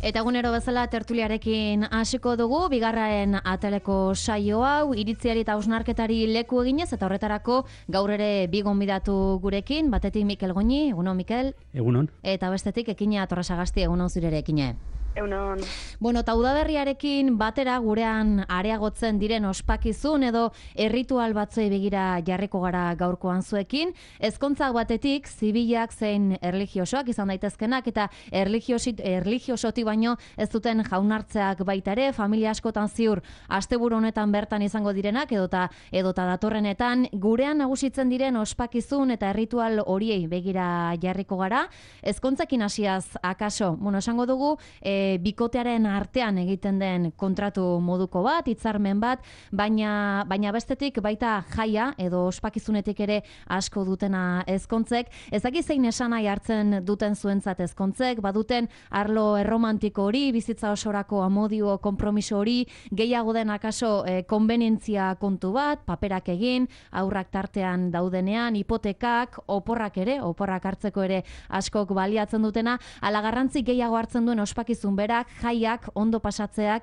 Eta egunero bezala tertuliarekin hasiko dugu, bigarren ataleko saio hau, iritziari eta hausnarketari leku eginez, eta horretarako gaur ere bi gonbidatu gurekin, batetik Mikel Goñi, egunon Mikel. Egunon. Eta bestetik Ekina Torresagasti, egunon zure ere Ekine. Egunon. Bueno, eta udaberriarekin batera gurean areagotzen diren ospakizun edo erritual batzuei begira jarriko gara gaurkoan zuekin. Ezkontzak batetik, zibilak zein erlijiosoak izan daitezkenak eta erlijiosotik baino ez duten jaunartzeak baita ere, familia askotan ziur asteburu honetan bertan izango direnak edota datorrenetan gurean nagusitzen diren ospakizun eta erritual horiei begira jarriko gara. Ezkontzekin hasiaz akaso, esango dugu, bikotearen artean egiten den kontratu moduko bat, hitzarmen bat, baina bestetik baita jaia edo ospakizunetik ere asko dutena ezkontzek. Ez dakit zein esanahi hartzen duten zuentzat ezkontzek, baduten arlo erromantiko hori, bizitza osorako amodio, konpromiso hori, gehiago den akaso konbenientzia kontu bat, paperak egin, aurrak tartean daudenean, hipotekak, oporrak hartzeko ere askok baliatzen dutena, ala garrantzi gehiago hartzen duen ospakizun berak, jaiak, ondo pasatzeak,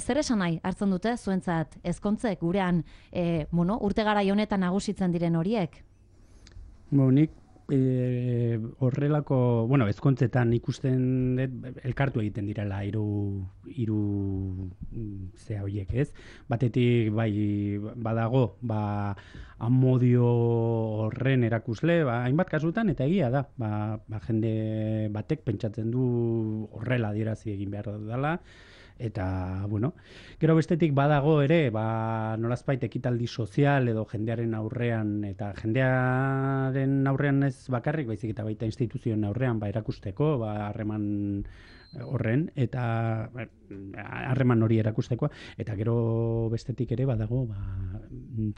zer esan nahi hartzen dute zuentzat ezkontzek gurean urte garai honetan nagusitzen diren horiek? Nik horrelako, ezkontzetan ikusten dut elkartu egiten direla hiru zea horiek, ez? Batetik bai badago, amodio horren erakusle, hainbat kasutan, eta egia da, jende batek pentsatzen du horrela adierazi egin behar dela, eta, gero bestetik badago ere, nolazbait ekitaldi sozial edo jendearen aurrean, eta jendearen aurrean ez bakarrik, baizik eta baita instituzioen aurrean, erakusteko, harreman horren, eta harreman hori erakusteko, eta gero bestetik ere badago,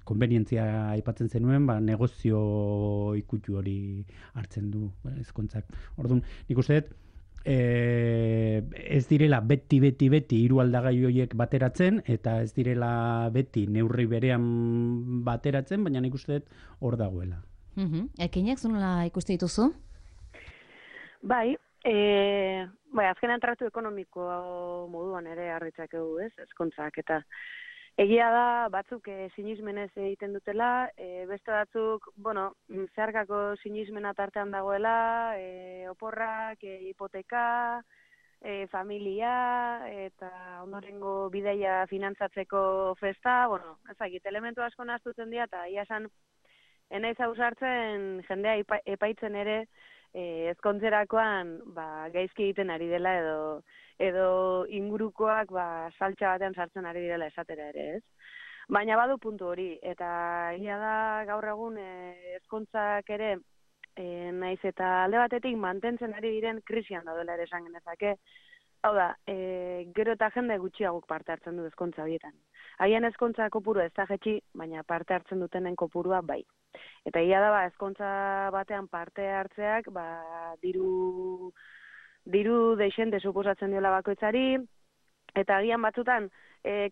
konbenientzia aipatzen zenuen, negozio ikutu hori hartzen du ezkontzak. Orduan, nik uste dut, ez direla beti hiru aldagai horiek bateratzen, eta ez direla beti neurri berean bateratzen, baina nik uste dut hor dagoela. Ekinek, zunola ikuste dituzu? Bai, azkenean tratu ekonomiko moduan ere harritzakegu, ez, ezkontzak, eta egia da, batzuk sinismenez egiten dutela, beste batzuk, zeharkako sinismena tartean dagoela, oporrak, hipoteka, familia, eta ondorengo bideia finantzatzeko festa, ezagit, elementu asko nahaztutzen dira, eta ia esan, enaiz hausartzen jendea epaitzen ere, ezkontzerakoan gaizki egiten ari dela edo ingurukoak saltxa batean sartzen ari direla esatera ere, ez? Baina badu puntu hori, eta egia da gaur egun ezkontzak ere naiz eta alde batetik mantentzen ari diren krisian daudela ere esan genezake. Hau da, gero eta jende gutxiagok parte hartzen du ezkontza horietan. Haien ezkontza kopurua ez da jetxi, baina parte hartzen dutenen kopurua bai. Eta egia da, ezkontza batean parte hartzeak, diru deixente suposatzen diola bakoitzari, eta agian batzutan,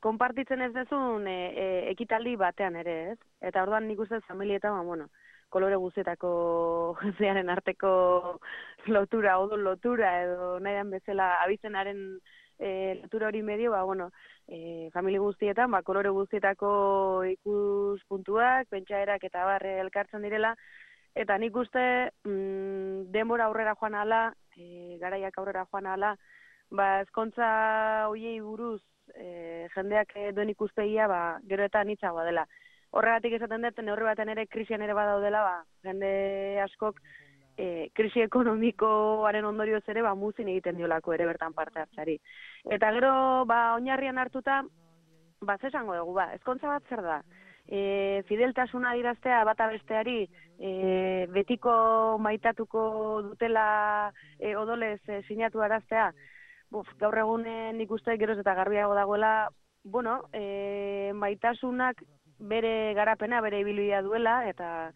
konpartitzen ez dezun ekitaldi batean ere, ez? Eta orduan nik uste familietan, kolore guztietako jendearen arteko lotura, odol lotura, edo nahian bezala abizenaren lotura hori medio, familia guztietan, kolore guztietako ikuspuntuak, pentsaerak eta barre elkartzen direla, eta nik uste denbora aurrera joan ala, garaiak aurrera joan ala, ezkontza hoiei buruz jendeak duen ikuspegia, gero eta anitzagoa dela. Horregatik esaten dut, neurri baten ere krisian ere badaudela, jende askok krisi ekonomikoaren ondorioz ere muzin egiten diolako ere bertan parte hartzari. Eta gero, oinarrian hartuta, ze esango dugu, ezkontza bat zer da? Fideltasuna adiraztea bata besteari, betiko maitatuko dutela odolez sinatu araztea, gaur egunen ikuste geroz eta garbiago dagoela, maitasunak bere garapena, bere ibilbidea duela, eta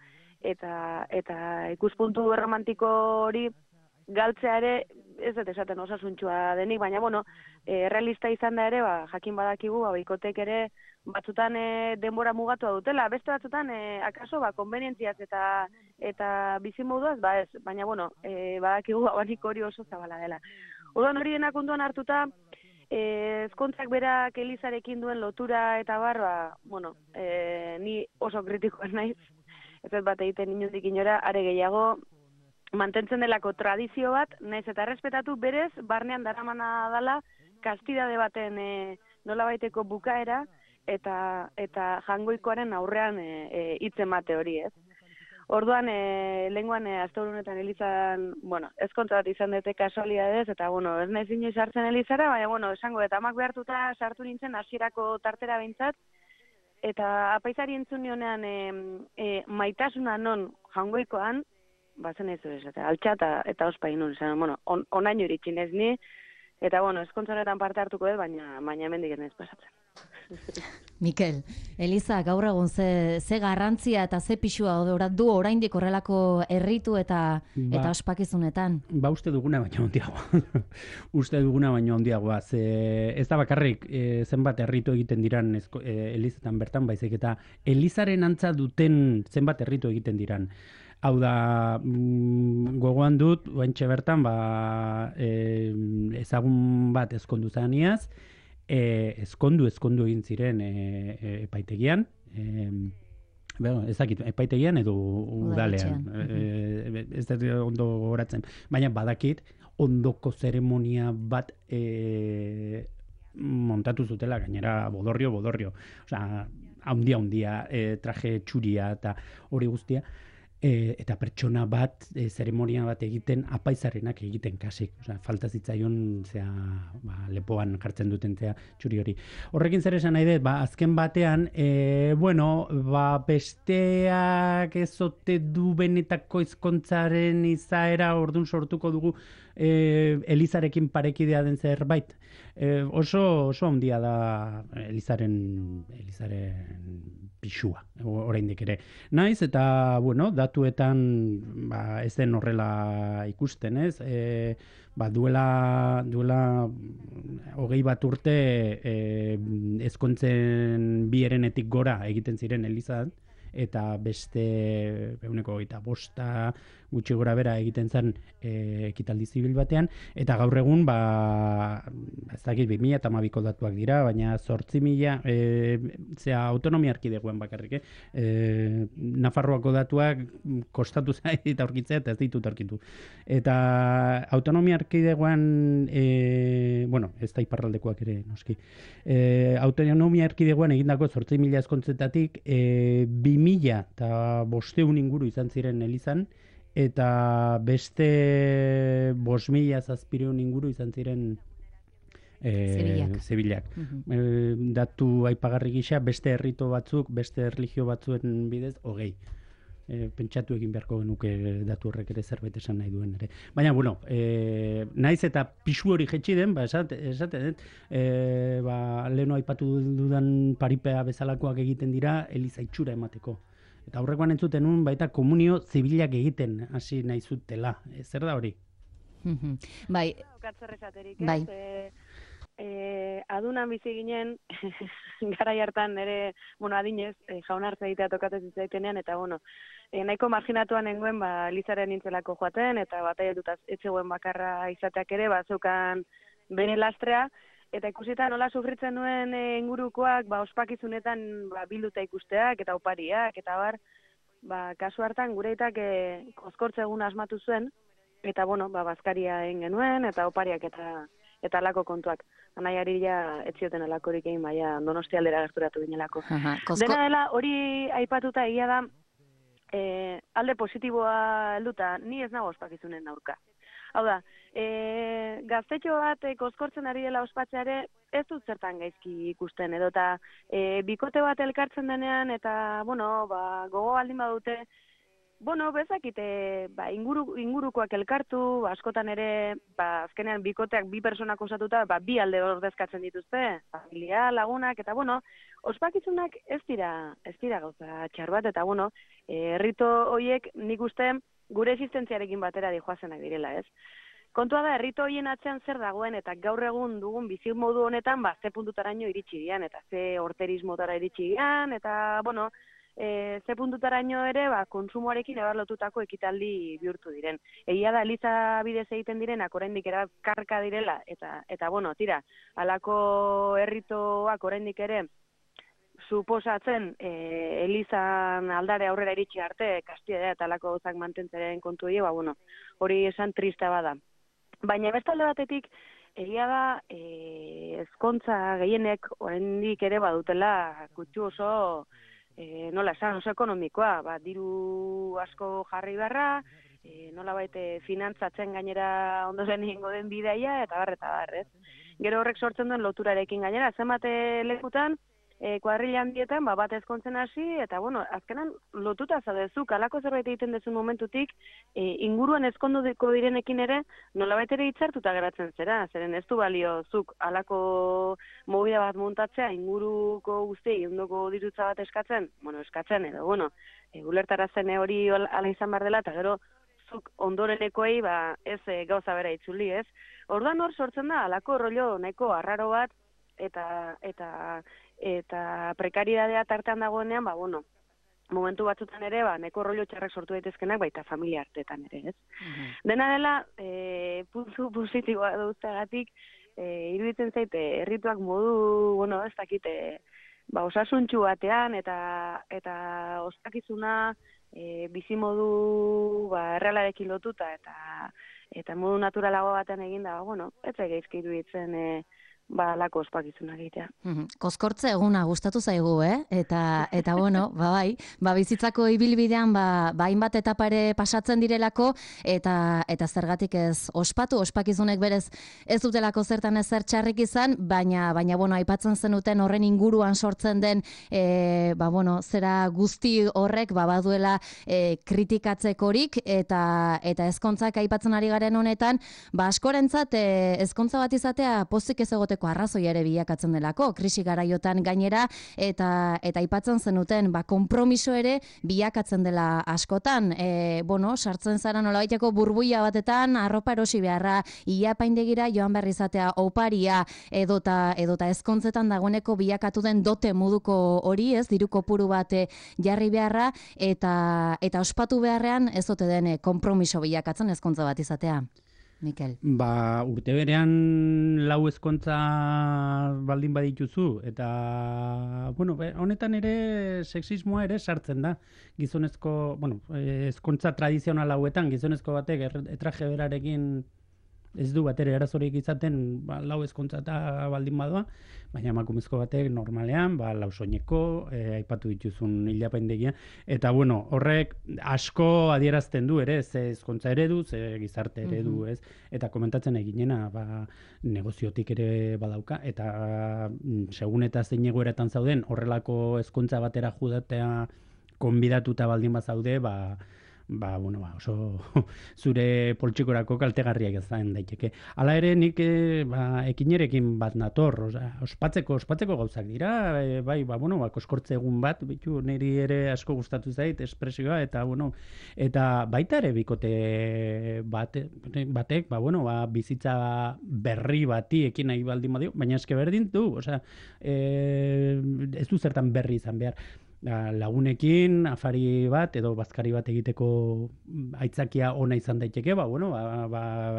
ikuspuntu erromantiko hori galtzea ere, ez dut esaten osasuntxua denik, baina, realista izan da ere, jakin badakigu, bikotek ere, batzutan denbora mugatua dutela, beste batzutan, akaso, konbenientziaz eta bizimoduaz, ez, baina, badakigu abanik hori oso zabala dela. Orduan hori denak ondoan hartuta, ezkontzak berak Elizarekin duen lotura eta barba, bueno, ni oso kritikoa naiz, ez dut bat egiten inundik inora, are gehiago, mantentzen delako tradizio bat, naiz eta errespetatu berez, barnean daramana dala, kastidade baten nolabaiteko bukaera, eta jangoikoaren aurrean hitz emate hori, ez? Orduan, lehenguan, asteburu honetan Elizan, bueno, ezkontza bat izan dute kasualidadez, eta, bueno, ez naiz inoiz sartzen Elizara, baina, bueno, esango, eta amak behartuta sartu nintzen hasierako tartera behintzat, eta apaizari entzun nionean maitasuna non jangoikoan, bazen ez ez, altxa eta ospa inun, bueno, onaino iritsi nez ni, eta, bueno, ezkontzaretan parte hartuko dut, baina hemendik ez naiz pasatzen. Mikel, Eliza, gaur egun ze garrantzia eta ze pixua du oraindik horrelako erritu eta ospakizunetan? Ba, uste duguna baino handiagoa. Uste duguna baino handiagoa. Ez da bakarrik zenbat erritu egiten diran Elizetan bertan, baizik eta Elizaren antza duten zenbat erritu egiten diran. Hau da, gogoan dut, oaintxe bertan, ezagun bat ezkondu zaniaz, ezkondu egin ziren epaitegian, ezakit, epaitegian edo udalean, ez da ondo goratzen, baina badakit ondoko zeremonia bat montatu zutela, gainera bodorrio, osea, handia, traje txuria eta hori guztia, eta pertsona bat, zeremonia bat egiten, apaizarenak egiten kasik. Osea, falta zitzaion lepoan jartzen duten txuri hori. Horrekin zer esan nahi dut, azken batean, besteak ezote du benetako ezkontzaren izaera orduan sortuko dugu Elizarekin parekidea den zerbait. Oso handia da Elizaren pixua, oraindik ere. Naiz eta, datuetan ez den horrela ikusten, ez? Duela 20 bat urte ezkontzen bi herenetik gora egiten ziren Elizan, eta beste 25 gutxi gora bera egiten zen ekitaldi zibil batean, eta gaur egun, ez dakit 2012ko datuak dira, baina 8.000, autonomia erkidegoan bakarrik, Nafarroako datuak kostatu zait aurkitzea eta ez ditut aurkitu. Eta autonomia erkidegoan, ez da iparraldekoak ere, noski, autonomia erkidegoan egindako 8.000 ezkontzetatik 2.500 inguru izan ziren Elizan, eta beste 5.000 inguru izan ziren zibilak. Datu aipagarri gisa, beste errito batzuk, beste erlijio batzuen bidez, 20. Pentsatu egin beharko genuke datu horrek ere zerbait esan nahi duen ere. Baina, naiz eta pixu hori jetxi den, esaten, leheno aipatu dudan paripea bezalakoak egiten dira, Eliza itxura emateko. Eta aurrekoan entzuten nun, baita komunio zibilak egiten hasi nahi zutela. Zer da hori? Bai. Bai. Adunan bizi ginen, garai hartan ere, adinez, jaunartza egitea tokatzen zitzaitenean, eta nahiko marginatuan nengoen, Elizaren nintzelako joaten, eta batai dutaz etzegoen bakarra izateak ere, zeukan bere lastrea, eta ikusita nola sufritzen nuen ingurukoak, ospakizunetan bilduta ikusteak, eta opariak, eta kasu hartan gure itak kozkortze egun asmatu zuen, eta bazkaria egin genuen, eta opariak eta alako kontuak. Anaiari etzioten alakorik egin, Donostia aldera gerturatu ginelako. Dena dela, hori aipatuta egia da, alde positiboa helduta, ni ez nago ospakizunen aurka. Hau da, gaztetxo bat kozkortzen ari dela ospatzeare, ez dut zertan gaizki ikusten, edo eta bikote bat elkartzen denean, eta, gogo baldin badute, bezakite, ingurukoak elkartu, askotan ere, azkenean bikoteak bi personak osatuta, bi alde ordezkatzen dituzte, familia, lagunak, eta ospakizunak ez dira gauza txar bat, eta errito horiek nik uste gure existentziarekin batera dijoazenak direla, ez? Kontua da, errito horien atzean zer dagoen, eta gaur egun dugun bizi modu honetan, ze puntutaraino iritsi dian, eta ze horterismotara iritsi dian, eta, ze puntutaraino ere konsumoarekin ebarlotutako ekitaldi bihurtu diren. Egia da eliza bidez egiten direnak oraindik karka direla eta bueno, tira, halako herritoak oraindik ere suposatzen elizan aldare aurrera iritsi arte kastidea eta halako gauzak mantentzaren kontu bueno, hori esan trista bada. Baina beste alde batetik egia da ezkontza gehienek oraindik ere badutela kutsu oso nola esan, oso ekonomikoa, diru asko jarri beharra, nolabait finantzatzen gainera ondoren egingo den bidaia, eta bar, ez? Gero horrek sortzen duen loturarekin gainera, zenbat lekutan, kuadrilla handietan, bat ezkontzen hasi, eta bueno, azkenan lotuta zaudezuk, alako zerbait egiten dezun momentutik, inguruan ezkonduko direnekin ere, nolabait ere hitzartuta geratzen zera, zeren ez du balio zuk alako movida bat montatzea, inguruko guztiei ondoko dirutza bat eskatzen edo, ulertarazen hori ala izan behar dela, eta gero zuk ondorenekoei ez gauza bera itzuli, ez? Orduan hor sortzen da, alako rollo nahiko arraro bat, eta prekaridadea tartean dagoenean, momentu batzutan ere, neko rollo txarrak sortu daitezkenak, baita familia artetan ere, ez? Dena dela, puntu positiboa duzteagatik, iruditzen zaite, herrituak modu, ez dakite, osasuntxu batean, eta ospakizuna, bizimodu, errealarekin lotuta, eta modu naturalago batean eginda, ez egeizki iruditzen, lako ospakizuna egitea. Koskortze eguna gustatu zaigu, Eta bueno, bai, bizitzako ibilbidean, hainbat etapa ere pasatzen direlako, eta zergatik ez ospakizunek berez ez dutelako zertan ezer txarrik izan, baina bueno, aipatzen zenuten horren inguruan sortzen den, zera guzti horrek, baduela kritikatzekorik, eta ezkontzak aipatzen ari garen honetan, askorentzat ezkontza bat izatea pozik ez egoteko arrazoi ere bilakatzen delako, krisi garaiotan gainera, eta aipatzen zenuten, konpromiso ere bilakatzen dela askotan. Sartzen zara nolabaiteko burbuia batetan, arropa erosi beharra, ilapaindegira joan behar izatea oparia, edota ezkontzetan dagoeneko bilakatu den dote moduko hori, ez, diru kopuru bat jarri beharra, eta ospatu beharrean ez ote den konpromiso bilakatzen ezkontza bat izatea. Mikel. Urte berean lau ezkontza baldin badituzu, eta, honetan ere sexismoa ere sartzen da. Gizonezko, ezkontza tradizional hauetan, gizonezko batek etraje berarekin ez du bat ere arazorik izaten lau ezkontza eta baldin badoa, baina emakumezko batek normalean, lau soineko, aipatu dituzun hilapaindegia, eta horrek asko adierazten du ere, ze ezkontza eredu, ze gizarte eredu, ez? Eta komentatzen eginena, negoziotik ere badauka, eta segun eta zein egoeratan zauden, horrelako ezkontza batera judatea konbidatuta baldin bazaude, oso zure poltsikorako kaltegarriak izan daiteke. Hala ere, nik ekinerekin bat nator, ospatzeko gauzak dira, koskortze egun bat, niri ere asko gustatu zait, espresioa, eta baita ere bikote batek, bizitza berri bati ekin nahi baldin badio, baina eske berdin du, ez du zertan berri izan behar. Lagunekin afari bat edo bazkari bat egiteko aitzakia ona izan daiteke,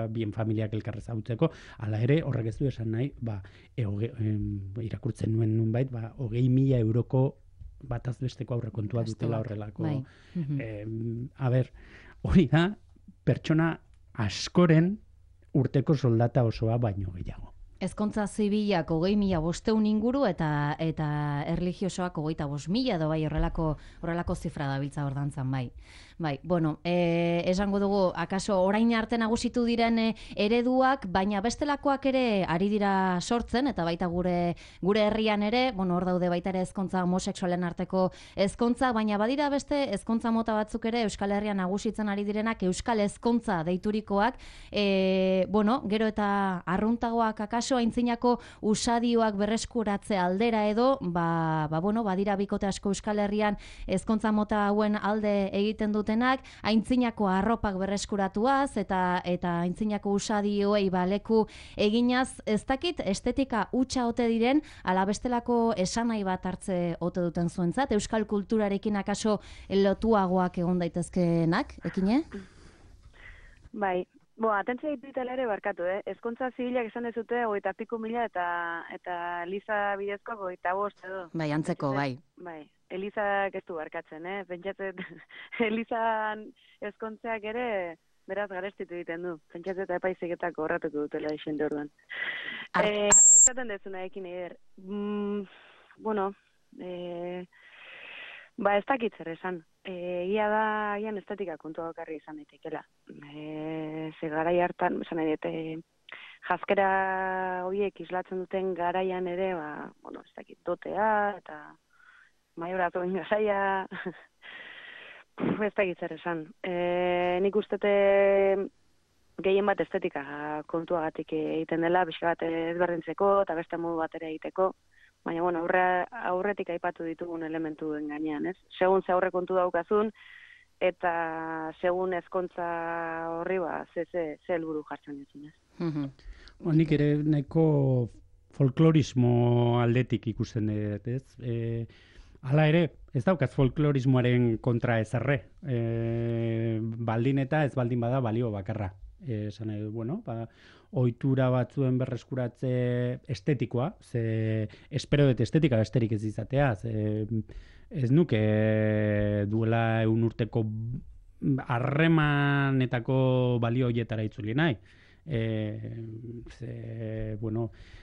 bien familiak elkarrez ezagutzeko, hala ere horrek ez du esan nahi, irakurtzen nuen nunbait, 20.000 euroko bataz besteko aurrekontua dutela horrelako. Hori da pertsona askoren urteko soldata osoa baino gehiago. Ezkontza zibilak 20.500 inguru eta erlijiosoak 25.000 edo horrelako zifra dabiltza hor dantzan, bai. Esango dugu, akaso orain arte nagusitu diren ereduak, baina bestelakoak ere ari dira sortzen, eta baita gure herrian ere, hor daude baita ere ezkontza homosexualen arteko ezkontza, baina badira beste ezkontza mota batzuk ere Euskal Herrian nagusitzen ari direnak, Euskal Ezkontza deiturikoak, gero eta arruntagoak akaso aintzinako usadioak berreskuratze aldera edo, badira bikote asko Euskal Herrian ezkontza mota hauen alde egiten dute dutenak, aintzinako arropak berreskuratuaz eta aintzinako usadioei baleku eginaz, ez dakit estetika hutsa ote diren, ala bestelako esanai bat hartze ote duten zuentzat, euskal kulturarekin akaso lotuagoak egon daitezkeenak, ekine? Bai, atentzia ditutela ere barkatu, Ezkontza zibilak esan dezute 30.000 eta Eliza bidezko 25 edo. Bai, antzeko, bai. Bai, Elizak ez du barkatzen, Pentsatzen Elizan ezkontzeak ere beraz garestitu egiten du. Pentsatzen eta epaizegetako horratuko dutela isende orduan. Esaten dezuna ekin eder. Ez dakit zer esan. Egia da, ian estetika kontua bakarri izan daitekela. Ze garai hartan, esan nahi dut, jaskera horiek islatzen duten garaian ere, ez dakit, dotea, eta maioratu ingazaia, ez dakit zer esan. Nik ustete gehien bat estetika kontuagatik egiten dela, pixka bat ezberdintzeko, eta beste modu batera egiteko, baina, aurretik aipatu ditugun elementuen gainean, ez? Segun ze aurre kontu daukazun, eta segun ezkontza horri, ze helburu jartzen dizun, ez? Nik ere nahiko folklorismo aldetik ikusten dut, ez? Hala ere, ez daukaz folklorismoaren kontra ezarre. Baldin eta ez baldin bada balio bakarra. Esan nahi dut, ohitura batzuen berreskuratze estetikoa, ze espero dut estetika besterik ez izatea, ez nuke duela 1 urteko harremanetako balio horietara itzuli nahi.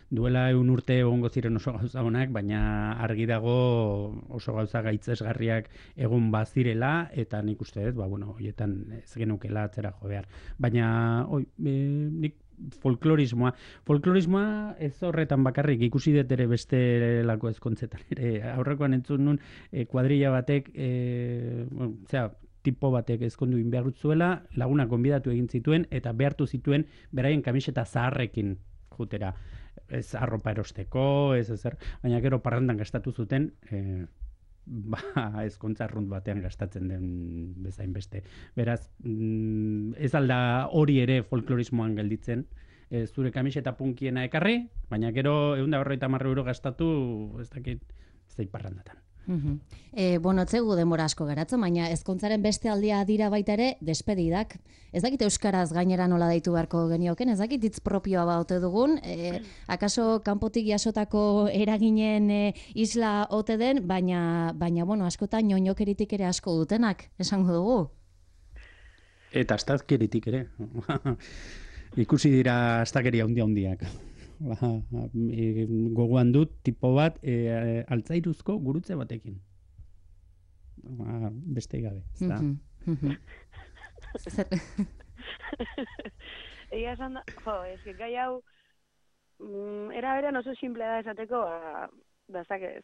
Duela 1 urte egongo ziren oso gauza honak, baina argi dago oso gauza gaitzesgarriak egon bazirela, eta nik uste dut, horietan ez genukela atzera jo behar. Baina, nik folklorismoa ez horretan bakarrik, ikusi dut ere bestelako ezkontzetan ere, aurrekoan entzun nun kuadrilla batek, tipo batek ezkondu behar zuela, lagunak gonbidatu egin zituen, eta behartu zituen beraien kamiseta zaharrekin jutera. Ez arropa erosteko, ez ezer, baina gero parrandan gastatu zuten, ezkontza arrunt batean gastatzen den bezain beste. Beraz, ez alda hori ere folklorismoan gelditzen, zure kamiseta punkiena ekarri, baina gero 150 euro gastatu, ez dakit, ez da parrandatan. Etzegu denbora asko geratzen, baina ezkontzaren beste aldia dira baita ere despedidak. Ez dakit euskaraz gainera nola deitu beharko genioken, ez dakit hitz propioa baute dugun, akaso kanpotik jasotako eraginen isla ote den, baina askotan ñoñokeritik ere asko dutenak, esango dugu. Eta astazkeritik ere. Ikusi dira astakeria handiak. Gogoan dut tipo bat altzairuzko gurutze batekin. Beste gabe, ez da? Egia esan da, gai hau era berean oso simplea da esateko,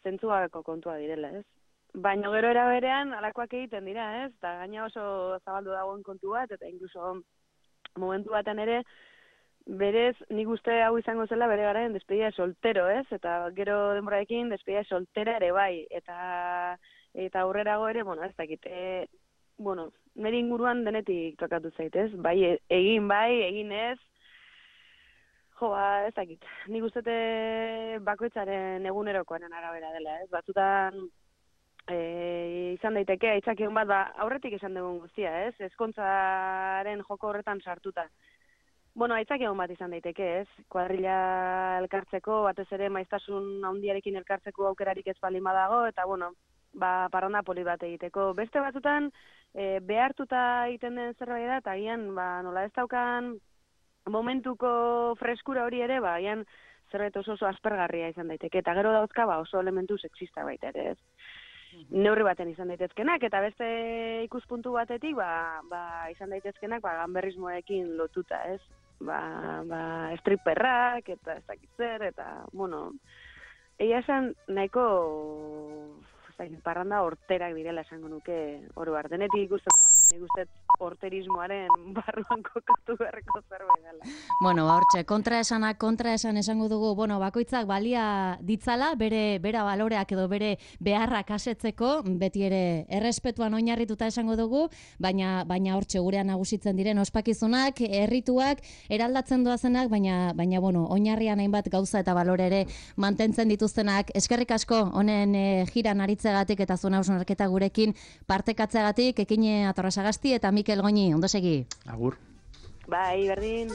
zentzugabeko kontua direla, ez? Baina gero era berean alakoak egiten dira, ez? Eta gaina oso zabaldu dagoen kontu bat, eta inkluso momentu baten ere, berez, nik uste hau izango zela bere garaen despedida soltero, ez? Eta gero denborarekin despedida soltera ere bai. Eta aurrerago ere, ez dakit, nire inguruan denetik tokatu zaitez. Bai, egin ez. Ez dakit. Nik uste bakoitzaren egunerokoaren arabera dela, ez? Batzutan izan daiteke, aitzakion bat, aurretik esan dugun guztia, ez? Ezkontzaren joko horretan sartuta. Aitzakion bat izan daiteke, ez? Kuadrilla elkartzeko, batez ere maiztasun handiarekin elkartzeko aukerarik ez baldin badago, eta parranda poli bat egiteko. Beste batzutan, behartuta egiten den zerbait da, eta agian, nola ez daukan momentuko freskura hori ere, agian zerbait oso aspergarria izan daiteke, eta gero dauzka oso elementu sexista baita ere, ez? Neurri baten izan daitezkenak, eta beste ikuspuntu batetik, izan daitezkenak, ganberrismoekin lotuta, ez? Stripperrak, eta ez dakit zer, eta, egia esan nahiko, ez dakit, parranda horterak direla esango nuke, oro denetik ikusten da, baina nik uste horterismoaren barruan kokatu beharreko zerbait dela. Bueno, hortxe, kontraesan esango dugu, bueno, bakoitzak balia ditzala, bere baloreak edo bere beharrak asetzeko, beti ere errespetuan oinarrituta esango dugu, baina hortxe gurean nagusitzen diren ospakizunak, errituak, eraldatzen doazenak, baina bueno, oinarrian hainbat gauza eta balore ere mantentzen dituztenak. Eskerrik asko, honen jiran aritzegatik eta zuen hausnarketa gurekin partekatzeagatik, Ekine Atorrasagasti eta Mikel Goñi, ondo segi. Agur. Bai, berdin.